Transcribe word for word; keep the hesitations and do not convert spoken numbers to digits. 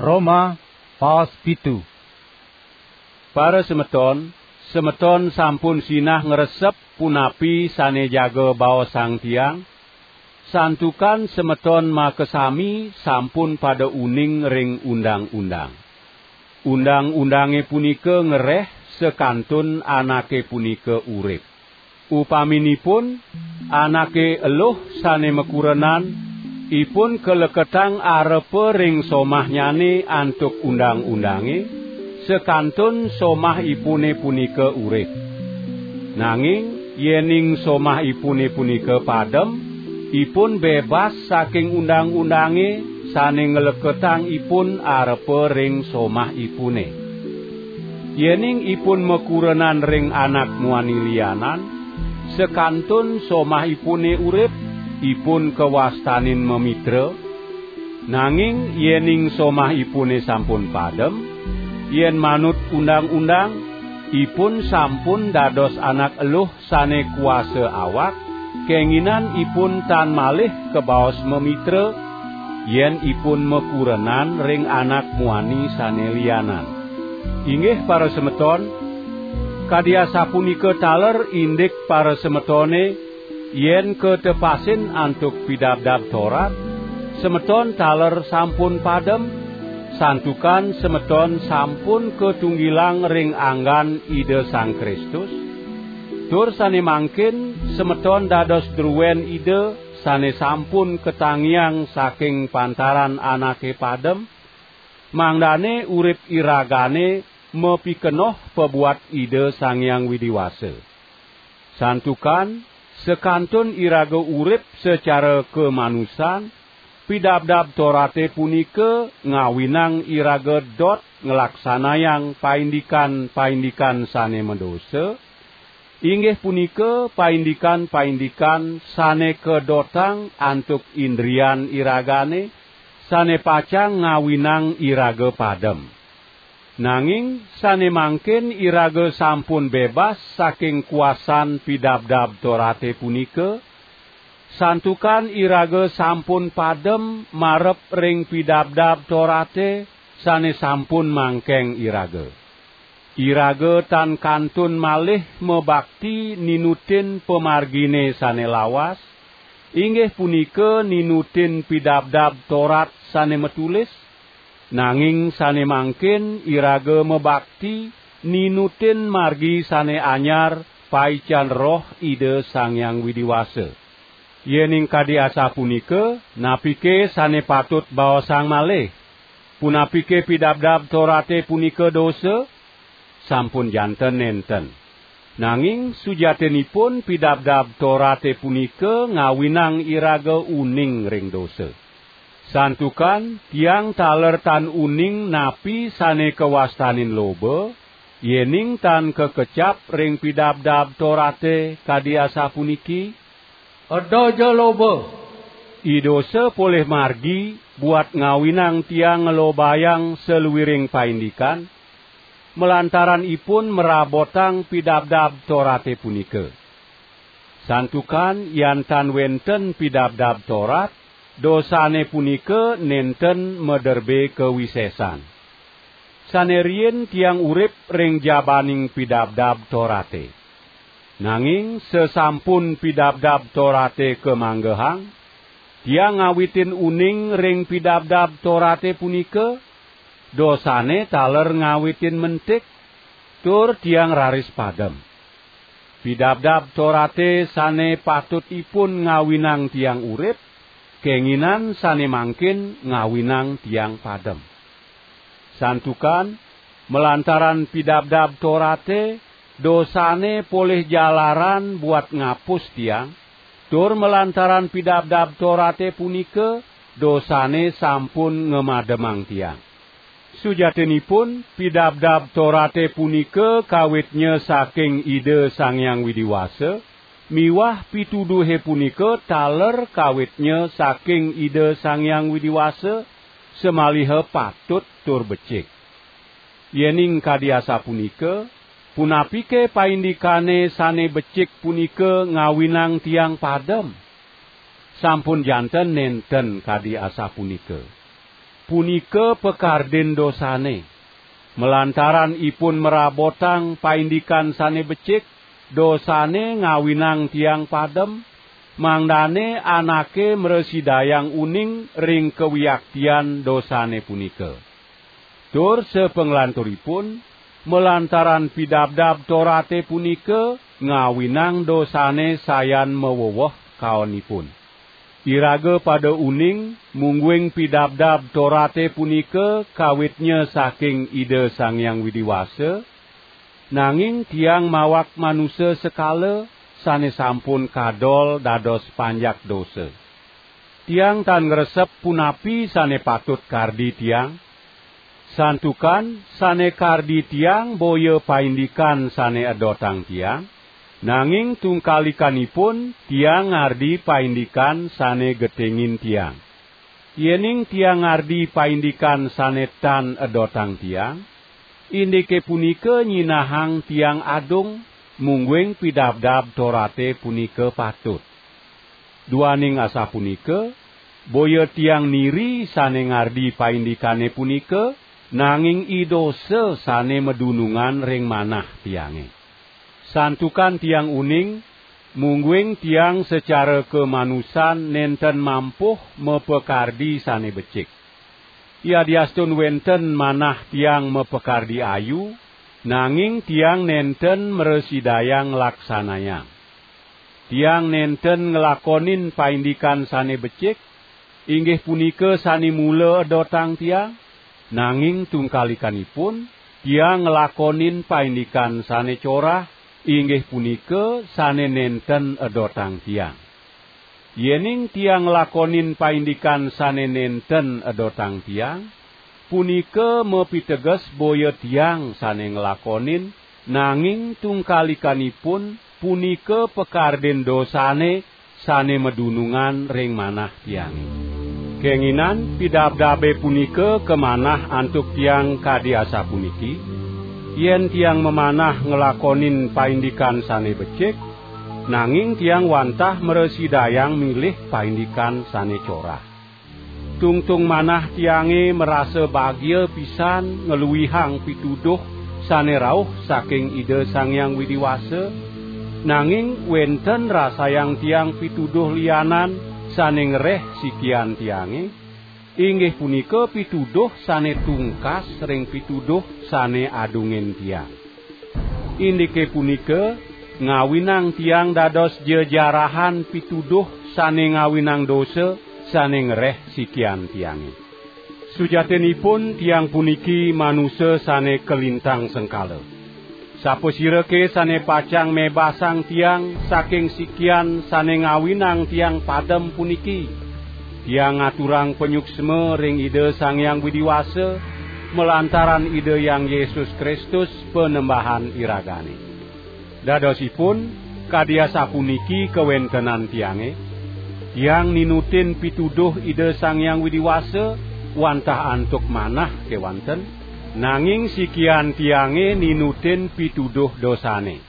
Roma, paos pitu. Para semeton, semeton sampun sinah ngresep punapi sane jaga baosang tiang, santukan semeton makasami sampun pada uning ring undang-undang. Undang-undange punika ngereh sakantun anake punika urip. Upaminipun, anake eluh sane makurenan, ipun kaleketang arepa ring somahnyane antuk undang-undange, sakantun somahipune punika urip. Nanging yening somahipune punika padem, ipun bebas saking undang-undange sane ngleketang ipun arepa ring somahipune. Yening ipun makurenan ring anak muani lianan, sakantun somahipune urip, ipun kawastanin mamitra. Nanging yening somahipune sampun padem, yen manut undang-undang, ipun sampun dados anak eluh sane kuasa awak, kenginan ipun tan malih kabaos mamitra, yen ipun makurenan ring anak muani sane lianan. Inggih para semeton, kadi asapunika taler indik para semetone, yen katepasin antuk Pidabdab Torat, semeton taler sampun padem, santukan semeton sampun katunggilang ring anggan Ida Sang Kristus, tur sane mangkin semeton dados druen Ida sane sampun katangiang saking pantaran anake padem, mangdane urip iragane mapikenoh pabuat Ida Sang Hyang Widi Wasa. Santukan sakantun iraga urip sacara kamanusan, Pidabdab Torate punika ngawinang iraga dot nglaksanayang paindikan-paindikan sane madosa, inggih punika paindikan-paindikan sane kadotang antuk indrian iragane, sane pacang ngawinang iraga padem. Nanging sane mangkin iraga sampun bebas saking kuasan Pidabdab Torate punika, santukan iraga sampun padem marep ring Pidabdab Torate sane sampun mangkeng iraga. Iraga tan kantun malih mabakti ninutin pamargine sane lawas, inggih punika ninutin Pidabdab Torat sane matulis, nanging sane mangkin iraga mabakti ninutin margi sane anyar paican Roh Ida Sang Hyang Widi Wasa. Yening kadi asapunika, napike sane patut baosang malih? Punapike Pidabdab Torate punika dosa? Sampun janten nenten. Nanging sujatinipun Pidabdab Torate punika ngawinang iraga uning ring dosa. Santukan tiang taler tan uning napi sane kawastanin loba, yening tan kakecap ring Pidabdab Torate kadi asapuniki, "Eda ja loba." I dosa polih margi buat ngawinang tiang nglobayang saluiring paindikan, malantaran ipun mrabotang Pidabdab Torate punika. Santukan yan tan wenten Pidabdab Torat, dosane punika nenten maderbe kawisesan. Sane riin tiang urip ring jabaning Pidabdab Torate. Nanging sasampun Pidabdab Torate kamanggehang, tiang ngawitin uning ring Pidabdab Torate punika, dosane taler ngawitin mentik, tur tiang raris padem. Pidabdab Torate sane patut ipun ngawinang tiang urip, kenginan sane mangkin ngawinang tiang padem. Santukan, malantaran Pidabdab Torate, dosane polih jalaran buat ngapus tiang, tur malantaran Pidabdab Torate punika, dosane sampun ngamademang tiang. Sujatinipun, Pidabdab Torate punika kawitnya saking Ida Sang Hyang Widi Wasa, miwah pituduhe punika taler kawitnya saking Ida Sang Hyang Widi Wasa, samaliha patut tur becik. Yening kadi asapunika, punapike paindikane sane becik punika ngawinang tiang padem? Sampun janten nenten kadi asapunika. punika pakardin dosane. Malantaran ipun marabotang paindikan sane becik, dosane ngawinang tiang padem, mangdane anake mrasidayang uning ring kawiaktian dosane punika. Tur sapanglanturipun, malantaran pidabdab Torate punika ngawinang dosane sayan maweweh kaonipun. Iraga pada uning, mungguing pidabdab Torate punika kawitnya saking Ida Sang Hyang Widi Wasa, nanging tiang mawak manusa sekala sane sampun kadol dados panjak dosa. Tiang tan ngresep punapi sane patut kardi tiang, santukan sane kardi tiang boya paindikan sane edotang tiang, nanging tungkalikanipun tiang ngardi paindikan sane getengin tiang. Yening tiang ngardi paindikan sane tan edotang tiang, indike punika nyinahang tiang adung, mungguing pidabdab Torate punika patut. Duaning asapunika, boya tiang niri sane ngardi paindikane punika, nanging i dosa sane madunungan ring manah tiange. Santukan tiang uning, mungguing tiang sacara kamanusan nenten mampuh mapakardi sane becik. Yadiastun wenten manah tiang mapakardi ayu, nanging tiang nenten mrasidayang nglaksanayang. Tiang nenten nglakonin paindikan sane becik, inggih punika sane mula edotang tiang, nanging tungkalikanipun tiang nglakonin paindikan sane corah, inggih punika sane nenten edotang tiang. Yening tiang nglakonin paindikan sane nenten edotang tiang, punika mapiteges boya tiang sane nglakonin, nanging tungkalikanipun punika pakardin dosane sane madunungan ring manah tiange. Kenginan pidabdabe punika kamanah antuk tiang kadi asapuniki: Yen tiang mamanah nglakonin paindikan sane becik, nanging tiang wantah mrasidayang milih paindikan sane corah. Tungtung manah tiange marasa bagia pisan ngluihang pituduh sane rauh saking Ida Sang Hyang Widi Wasa, nanging wenten rasayang tiang pituduh lianan sane ngreh sikian tiange, inggih punika pituduh sane tungkas ring pituduh sane adungin tiang. Indike punika ngawinang tiang dados jejarahan pituduh sane ngawinang dosa sane ngreh sikian tiange. Sujatinipun tiang puniki manusa sane kalintang sengkala. Sapasirake sane pacang mebasang tiang saking sikian sane ngawinang tiang padem puniki? Tiang ngaturang panyuksma ring Ida Sang Hyang Widi Wasa, malantaran Ida Hyang Yesus Kristus, Panembahan iragane. Dadosipun, kadi asapuniki kawentenan tiange: Tiang ninutin pituduh Ida Sang Hyang Widi Wasa wantah antuk manah kewanten, nanging sikian tiange ninutin pituduh dosane.